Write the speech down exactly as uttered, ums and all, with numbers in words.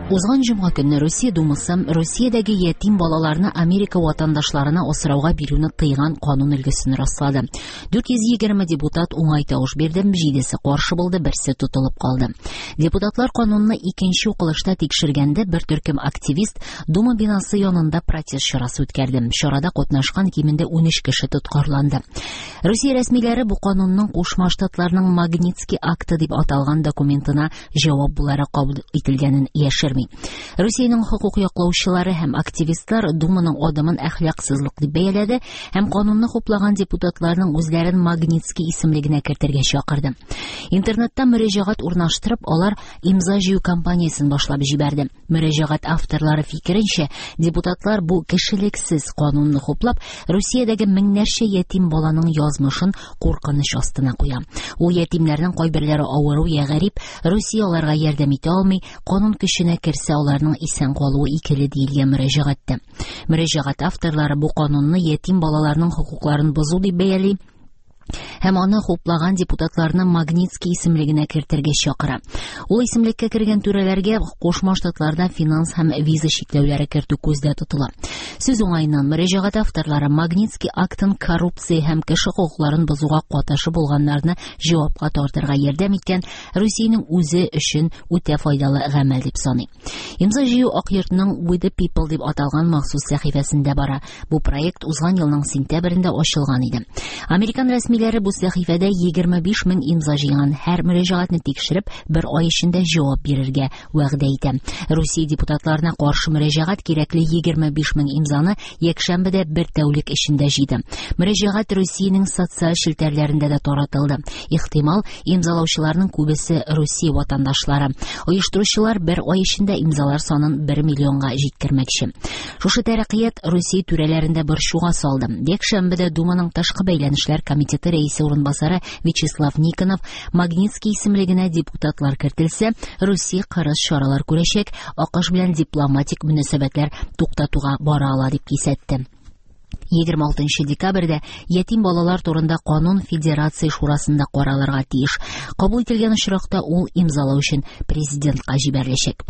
Узган җомга көнне Русия Думасы Русиядәге ятим балаларны Америка ватандашларына асрауга бирүне тыйган канун өлгесен раслады. дүрт йөз егерме депутат уңай тавыш бирде, җидесе каршы булды, берсе тотылып калды. Депутатлар канунны икенче укылышта тикшергәндә бер төркем активист Дума бинасы янында протест чарасы үткәрде. Чарада катнашкан кимендә унөч кеше тоткарланды. Русия рәсмиләре бу канунның Кушма Штатларның Магнитский акты дип аталган документына җавап буларак кабул ителгәнен яшерми. Русиянең хокук яклаучылары һәм активистлар Думаның адымын әхлаксызлык дип бәяләде һәм канунны хуплаган депутатларның үзләрен Магнитский исемлегенә кертергә чакырды. Интернетта мөрәҗәгать урнаштырып, алар имза җыю кампаниясен башлап җибәрде. Мөрәҗәгать авторлары фикеренчә, депутатлар бу кешелексез канунны хуплап, Русиядәге меңнәрчә ятим баланың язмышын куркыныч астына куя. Ул ятимнәрнең кайберләре авыру я гарип, Русия аларга ярдәм итә алмый, канун көченә керсә аларның исән калуы икеле диелгән мөрәҗәгатьтә. Мөрәҗәгать авторлары бу канунны ятим балаларның хокукларын бозу дип бәяли һәм аны хуплаган депутатларны Магнитский исемлегенә кертергә чакыра. Ул исемлеккә кергән түрәләргә Кушма Штатларда финанс һәм виза чикләүләре кертү күздә тотыла. Сүз уңаеннан мөрәҗәгать авторлары Магнитский актын коррупция һәм кеше хокукларын бозуга катнашы булганнарны җавапка тартырга ярдәм иткән Русиянең үзе өчен үтә файдалы гамәл дип саный. Имза җыю Ак йортның We the People дип аталган махсус сәхифәсендә бара. Бу проект узган елның сентябрендә ачылган иде. Американ рәсмиләре бу сәхифәдә егерме биш мең имза җыйган һәр мөрәҗәгатьне тикшереп, бер ай эчендә җавап бирергә вәгъдә итә. Русия депутатларына каршы мөрәҗәгать кирәкле егерме биш мең имзаны якшәмбедә бер тәүлек эчендә җыйды. Мөрәҗәгать Русиянең социаль челтәрләрендә дә таратылды. Ихтимал, имзалаучыларның күбесе Русия ватандашлары. Оештыручылар бер ай эчендә имзалар санын бер миллионга җиткермәкче. Шушы тәрәккыят Русия түрәләрендә борчуга салды. Якшәмбедә Думаның тышкы бәйләнешләр комитеты рәисе урынбасары Вячеслав Никонов Магнитский исемлегенә депутатлар кертелсә, Русия кырыс чаралар күрәчәк, АКШ белән дипломатик мөнәсәбәтләр туктатуга бара ала дип кисәтте. Егерме алтынчы декабрьдә ятим балалар турында канун Федерация шурасында каралырга тиеш. Кабул ителгән очракта ул имзалау өчен президентка җибәреләчәк.